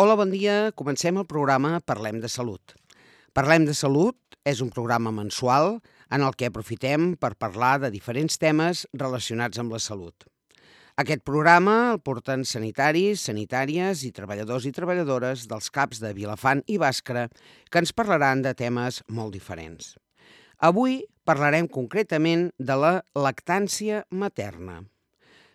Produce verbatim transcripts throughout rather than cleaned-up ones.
Hola, bon dia. Comencem el programa Parlem de Salut. Parlem de Salut és un programa mensual en el que aprofitem per parlar de diferents temes relacionats amb la salut. Aquest programa el porten sanitaris, sanitàries i treballadors i treballadores dels CAPs de Vilafant i Bàscara que ens parlaran de temes molt diferents. Avui parlarem concretament de la lactància materna.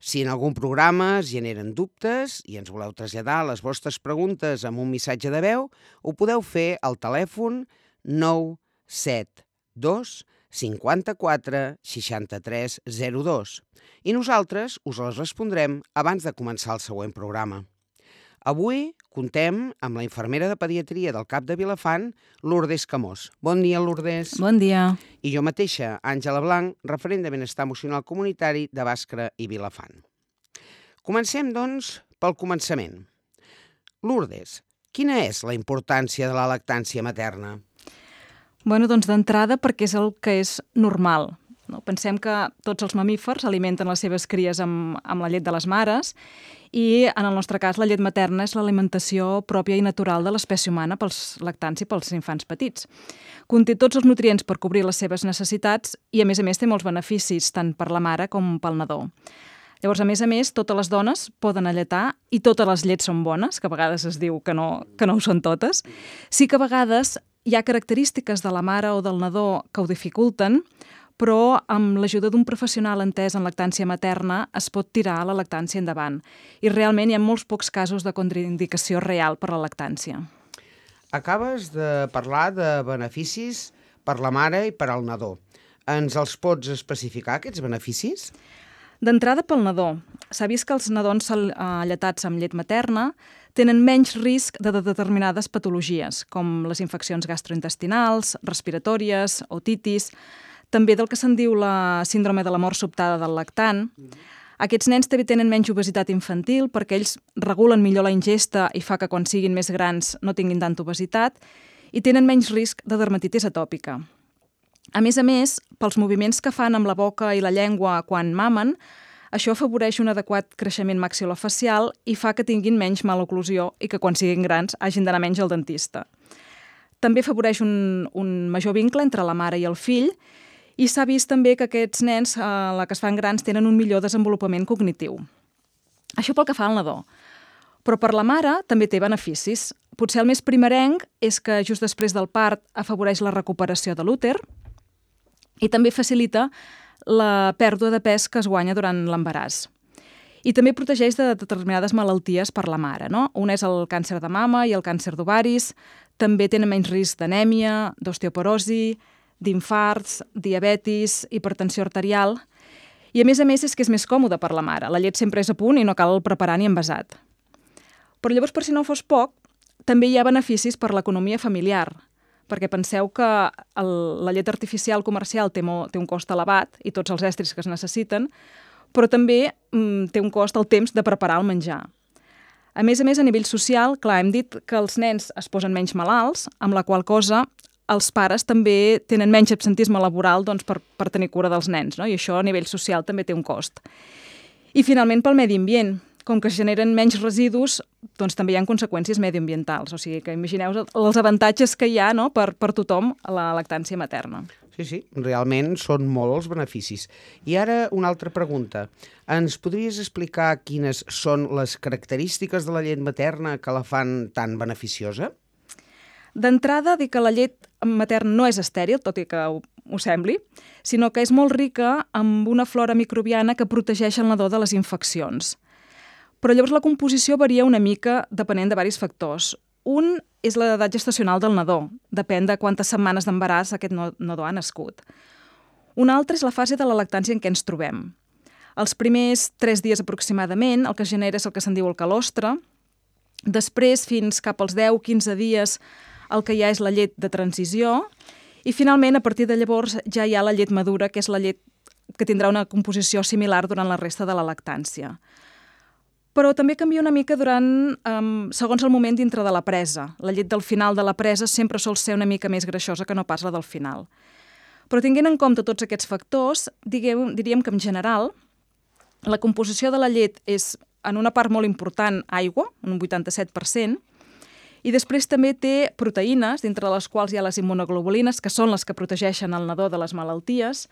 Si en algun programa es generen dubtes i ens voleu traslladar les vostres preguntes amb un missatge de veu, ho podeu fer al telèfon nou set dos cinquanta-quatre seixanta-tres zero dos i nosaltres us les respondrem abans de començar el següent programa. Avui contem amb la infermera de pediatria del CAP de Vilafant, Lourdes Camós. Bon dia, Lourdes. Bon dia. I jo mateixa, Àngela Blanc, referent de benestar emocional comunitari de Bàscara i Vilafant. Comencem, doncs, pel començament. Lourdes, quina és la importància de la lactància materna? Bueno, doncs d'entrada perquè és el que és normal. No? Pensem que tots els mamífers alimenten les seves cries amb, amb la llet de les mares i, en el nostre cas, la llet materna és l'alimentació pròpia i natural de l'espècie humana pels lactants i pels infants petits. Conté tots els nutrients per cobrir les seves necessitats i, a més a més, té molts beneficis tant per la mare com pel nadó. Llavors, a més a més, totes les dones poden alletar i totes les llets són bones, que a vegades es diu que no, que no ho són totes. Sí que a vegades hi ha característiques de la mare o del nadó que ho dificulten, però amb l'ajuda d'un professional entès en lactància materna es pot tirar la lactància endavant. I realment hi ha molts pocs casos de contraindicació real per la lactància. Acabes de parlar de beneficis per la mare i per al nadó. Ens els pots especificar, aquests beneficis? D'entrada pel nadó. S'ha vist que els nadons alletats amb llet materna tenen menys risc de determinades patologies, com les infeccions gastrointestinals, respiratòries, otitis, també del que se'n diu la síndrome de la mort sobtada del lactant. Aquests nens també tenen menys obesitat infantil perquè ells regulen millor la ingesta i fa que quan siguin més grans no tinguin tanta obesitat i tenen menys risc de dermatitis atòpica. A més a més, pels moviments que fan amb la boca i la llengua quan mamen, això afavoreix un adequat creixement maxilofacial i fa que tinguin menys maloclusió i que quan siguin grans hagin d'anar menys al dentista. També afavoreix un, un major vincle entre la mare i el fill i s'ha vist també que aquests nens, a la que es fan grans, tenen un millor desenvolupament cognitiu. Això pel que fa al nadó. Però per la mare també té beneficis. Potser el més primerenc és que just després del part afavoreix la recuperació de l'úter i també facilita la pèrdua de pes que es guanya durant l'embaràs. I també protegeix de determinades malalties per la mare, no? Un és el càncer de mama i el càncer d'ovaris, també tenen menys risc d'anèmia, d'osteoporosi, d'infarts, diabetis, hipertensió arterial. I a més a més és que és més còmode per la mare. La llet sempre és a punt i no cal preparar ni envasat. Però llavors, per si no fos poc, també hi ha beneficis per l'economia familiar, perquè penseu que el, la llet artificial comercial té, mo, té un cost elevat i tots els estris que es necessiten, però també mm, té un cost el temps de preparar el menjar. A més a més, a nivell social, clar, hem dit que els nens es posen menys malalts, amb la qual cosa els pares també tenen menys absentisme laboral doncs, per, per tenir cura dels nens, no? I això a nivell social també té un cost. I finalment pel medi ambient. Com que es generen menys residus, doncs també hi ha conseqüències mediambientals. O sigui que imagineu els avantatges que hi ha, no? per, per tothom a la lactància materna. Sí, sí, realment són molts els beneficis. I ara una altra pregunta. Ens podries explicar quines són les característiques de la llet materna que la fan tan beneficiosa? D'entrada, dir que la llet materna no és estèril, tot i que ho, ho sembli, sinó que és molt rica amb una flora microbiana que protegeix el nadó de les infeccions. Però llavors la composició varia una mica depenent de diversos factors. Un és l'edat gestacional del nadó, depèn de quantes setmanes d'embaràs aquest nadó ha nascut. Un altre és la fase de la lactància en què ens trobem. Els primers tres dies aproximadament el que es genera és el que se'n diu el calostre, després fins cap als deu a quinze dies el que ja és la llet de transició i finalment a partir de llavors ja hi ha la llet madura, que és la llet que tindrà una composició similar durant la resta de la lactància. Però també canvia una mica durant, um, segons el moment dintre de la presa. La llet del final de la presa sempre sol ser una mica més greixosa que no pas la del final. Però tinguent en compte tots aquests factors, diguem, diríem que en general la composició de la llet és en una part molt important aigua, un vuitanta-set per cent, I després també té proteïnes, dintre de les quals hi ha les immunoglobulines, que són les que protegeixen el nadó de les malalties.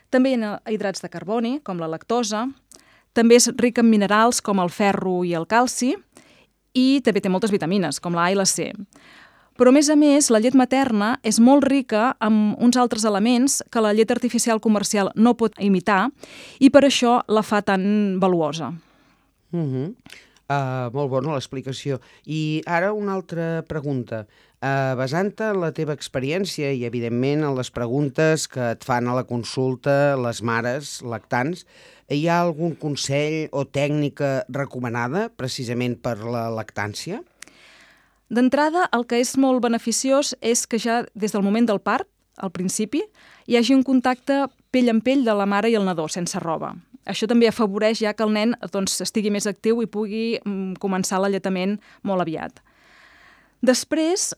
També hi ha hidrats de carboni, com la lactosa. També és ric en minerals, com el ferro i el calci. I també té moltes vitamines, com la A i la C. Però, a més a més, la llet materna és molt rica amb uns altres elements que la llet artificial comercial no pot imitar i per això la fa tan valuosa. Uh-huh. Uh, molt bona l'explicació. I ara una altra pregunta. Uh, basant-te en la teva experiència i, evidentment, en les preguntes que et fan a la consulta les mares lactants, hi ha algun consell o tècnica recomanada precisament per la lactància? D'entrada, el que és molt beneficiós és que ja des del moment del part, al principi, hi hagi un contacte pell en pell de la mare i el nadó, sense roba. Això també afavoreix ja que el nen doncs, estigui més actiu i pugui mm, començar l'alletament molt aviat. Després,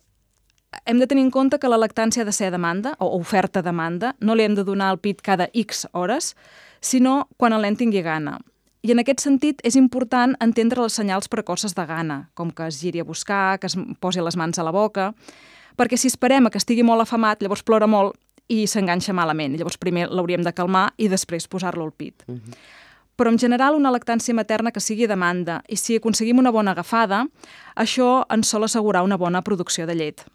hem de tenir en compte que la lactància ha de ser a demanda, o oferta a demanda. No li hem de donar el pit cada X hores, sinó quan el nen tingui gana. I en aquest sentit és important entendre les senyals precoces de gana, com que es giri a buscar, que es posi les mans a la boca, perquè si esperem que estigui molt afamat, llavors plora molt i s'enganxa malament. Llavors primer l'hauríem de calmar i després posar-lo al pit. Uh-huh. Però en general una lactància materna que sigui a demanda i si aconseguim una bona agafada, això ens sol assegurar una bona producció de llet.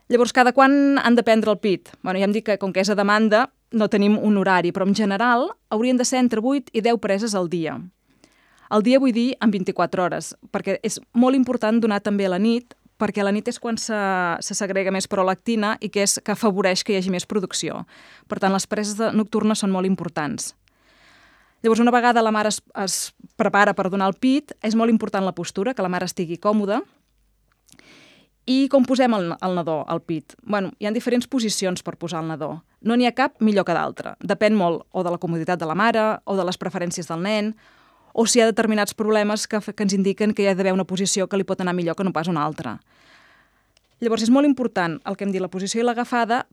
Llavors, cada quan han de prendre el pit? Bueno, ja hem dit que com que és a demanda no tenim un horari, però en general haurien de ser entre vuit i deu preses al dia. Al dia vull dir en vint-i-quatre hores, perquè és molt important donar també a la nit, perquè a la nit és quan se, se segrega més prolactina i que és que afavoreix que hi hagi més producció. Per tant, les preses nocturnes són molt importants. Llavors, una vegada la mare es, es prepara per donar el pit, és molt important la postura, que la mare estigui còmoda. I com posem el, el nadó al pit? Bueno, hi ha diferents posicions per posar el nadó. No n'hi ha cap millor que d'altra. Depèn molt o de la comoditat de la mare, o de les preferències del nen, o si hi ha determinats problemes que, que ens indiquen que hi ha d'haver una posició que li pot anar millor que no pas una altra. Llavors, és molt important el que hem dit, la posició i l'agafada,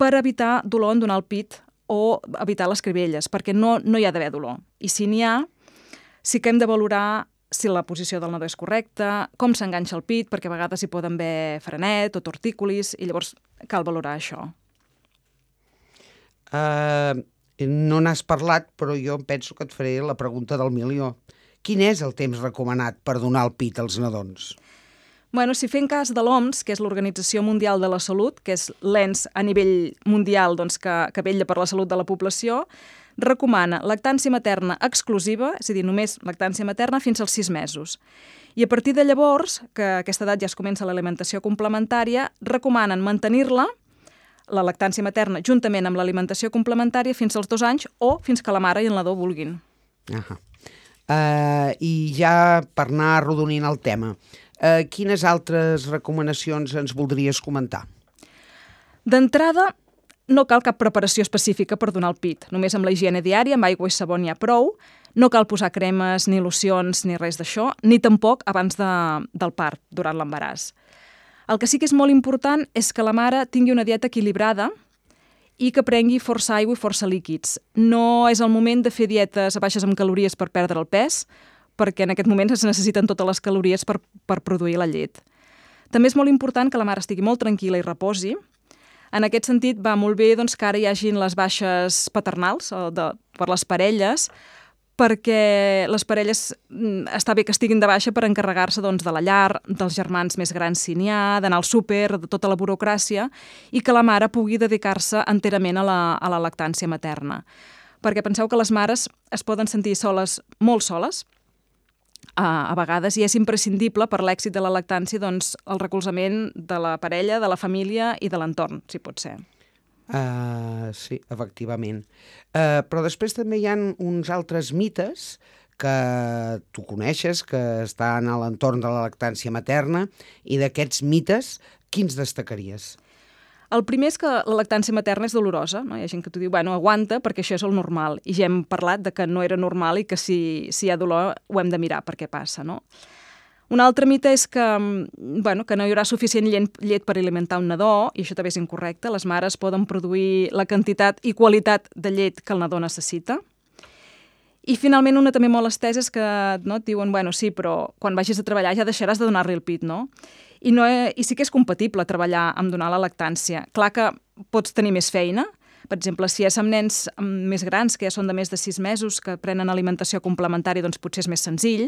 per evitar dolor en donar el pit o evitar les cribelles, perquè no, no hi ha d'haver dolor. I si n'hi ha, sí que hem de valorar si la posició del nadó és correcta, com s'enganxa el pit, perquè a vegades hi poden haver frenet o tortícolis, i llavors cal valorar això. Uh, no n'has parlat, però jo penso que et faré la pregunta del milió. Quin és el temps recomanat per donar el pit als nadons? Bueno, si fem cas de l'O M S, que és l'Organització Mundial de la Salut, que és l'ens a nivell mundial doncs, que, que vetlla per la salut de la població, recomana lactància materna exclusiva, és a dir, només lactància materna fins als sis mesos. I a partir de llavors, que a aquesta edat ja es comença l'alimentació complementària, recomanen mantenir-la, la lactància materna, juntament amb l'alimentació complementària fins als dos anys o fins que la mare i el nadó vulguin. Uh-huh. Uh, I ja per anar arrodonint el tema, uh, quines altres recomanacions ens voldries comentar? D'entrada, no cal cap preparació específica per donar el pit. Només amb la higiene diària, amb aigua i sabó n'hi ha prou. No cal posar cremes, ni locions, ni res d'això, ni tampoc abans de, del part, durant l'embaràs. El que sí que és molt important és que la mare tingui una dieta equilibrada i que prengui força aigua i força líquids. No és el moment de fer dietes baixes en calories per perdre el pes, perquè en aquest moment es necessiten totes les calories per, per produir la llet. També és molt important que la mare estigui molt tranquil·la i reposi. En aquest sentit, va molt bé doncs, que ara hi hagin les baixes paternals de, per les parelles, perquè les parelles està bé que estiguin de baixa per encarregar-se doncs, de la llar, dels germans més grans si n'hi ha, d'anar al súper, de tota la burocràcia, i que la mare pugui dedicar-se enterament a la, a la lactància materna. Perquè penseu que les mares es poden sentir soles, molt soles, a, a vegades, i és imprescindible per l'èxit de la lactància doncs, el recolzament de la parella, de la família i de l'entorn, si pot ser. Uh, sí, efectivament. Uh, però després també hi ha uns altres mites que tu coneixes, que estan a l'entorn de la lactància materna, i d'aquests mites, quins destacaries? El primer és que la lactància materna és dolorosa, no? Hi ha gent que t'ho diu, bueno, aguanta perquè això és el normal, i ja hem parlat de que no era normal i que si, si hi ha dolor ho hem de mirar per què passa, no? Un altre mite és que, bueno, que no hi haurà suficient llet per alimentar un nadó, i això també és incorrecte. Les mares poden produir la quantitat i qualitat de llet que el nadó necessita. I finalment una també molt estesa és que no, et diuen, bueno, sí, però quan vagis a treballar ja deixaràs de donar-li el pit, no? I, no I sí que és compatible treballar amb donar la lactància. Clar que pots tenir més feina. Per exemple, si és amb nens més grans, que ja són de més de sis mesos, que prenen alimentació complementària, doncs potser és més senzill.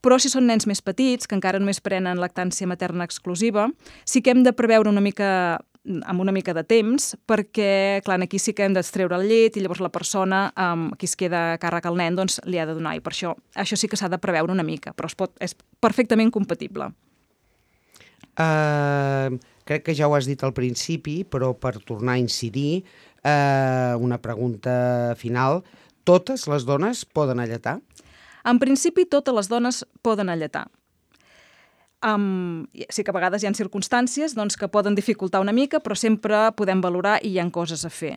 Però si són nens més petits, que encara només prenen lactància materna exclusiva, sí que hem de preveure una mica amb una mica de temps, perquè, clar, aquí sí que hem d'extreure el llet i llavors la persona um, qui es queda a càrrec al nen doncs, li ha de donar. I per això, això sí que s'ha de preveure una mica, però es pot, és perfectament compatible. Uh, crec que ja ho has dit al principi, però per tornar a incidir, uh, una pregunta final. Totes les dones poden alletar? En principi, totes les dones poden alletar. Um, sí que a vegades hi ha circumstàncies doncs, que poden dificultar una mica, però sempre podem valorar i hi ha coses a fer.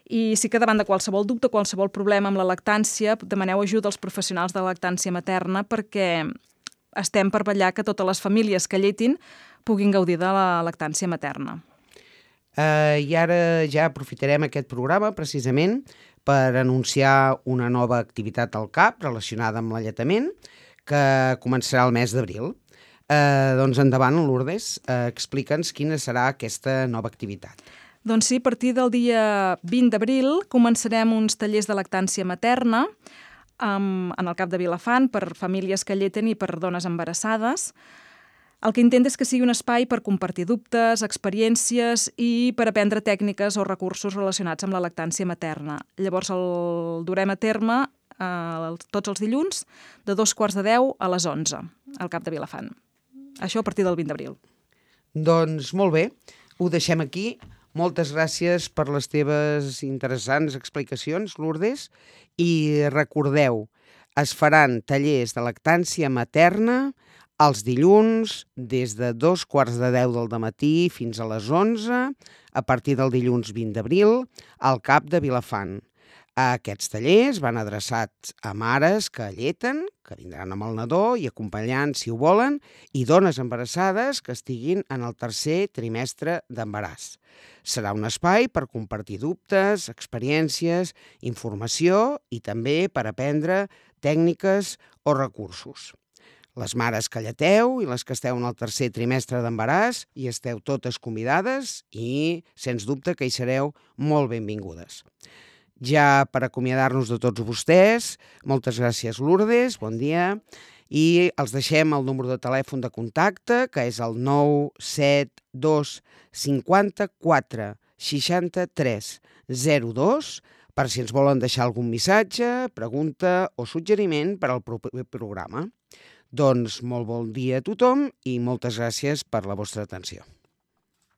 I sí que davant de qualsevol dubte, qualsevol problema amb la lactància, demaneu ajuda als professionals de lactància materna perquè estem per vetllar que totes les famílies que lletin puguin gaudir de la lactància materna. Uh, I ara ja aprofitarem aquest programa precisament per anunciar una nova activitat al C A P relacionada amb l'alletament que començarà el mes d'abril. Uh, doncs endavant, Lourdes, uh, explica'ns quina serà aquesta nova activitat. Doncs sí, a partir del dia vint d'abril començarem uns tallers de lactància materna um, en el C A P de Vilafant per famílies que lleten i per dones embarassades. El que intenta és que sigui un espai per compartir dubtes, experiències i per aprendre tècniques o recursos relacionats amb la lactància materna. Llavors el durem a terme eh, tots els dilluns de dos quarts de deu a les onze al C A P de Vilafant. Això a partir del vint d'abril. Doncs molt bé, ho deixem aquí. Moltes gràcies per les teves interessants explicacions, Lourdes. I recordeu, es faran tallers de lactància materna els dilluns des de dos quarts de deu del dematí fins a les onze, a partir del dilluns vint d'abril, al C A P de Vilafant. Aquests tallers van adreçats a mares que alleten, que vindran amb el nadó i acompanyant si ho volen, i dones embarassades que estiguin en el tercer trimestre d'embaràs. Serà un espai per compartir dubtes, experiències, informació i també per aprendre tècniques o recursos. Les mares que alleteu i les que esteu en el tercer trimestre d'embaràs hi esteu totes convidades i, sens dubte, que hi sereu molt benvingudes. Ja per acomiadar-nos de tots vostès, moltes gràcies, Lourdes, bon dia, i els deixem el número de telèfon de contacte, que és el nou set dos cinquanta-quatre seixanta-tres zero dos, per si ens volen deixar algun missatge, pregunta o suggeriment per al proper programa. Doncs molt bon dia a tothom i moltes gràcies per la vostra atenció.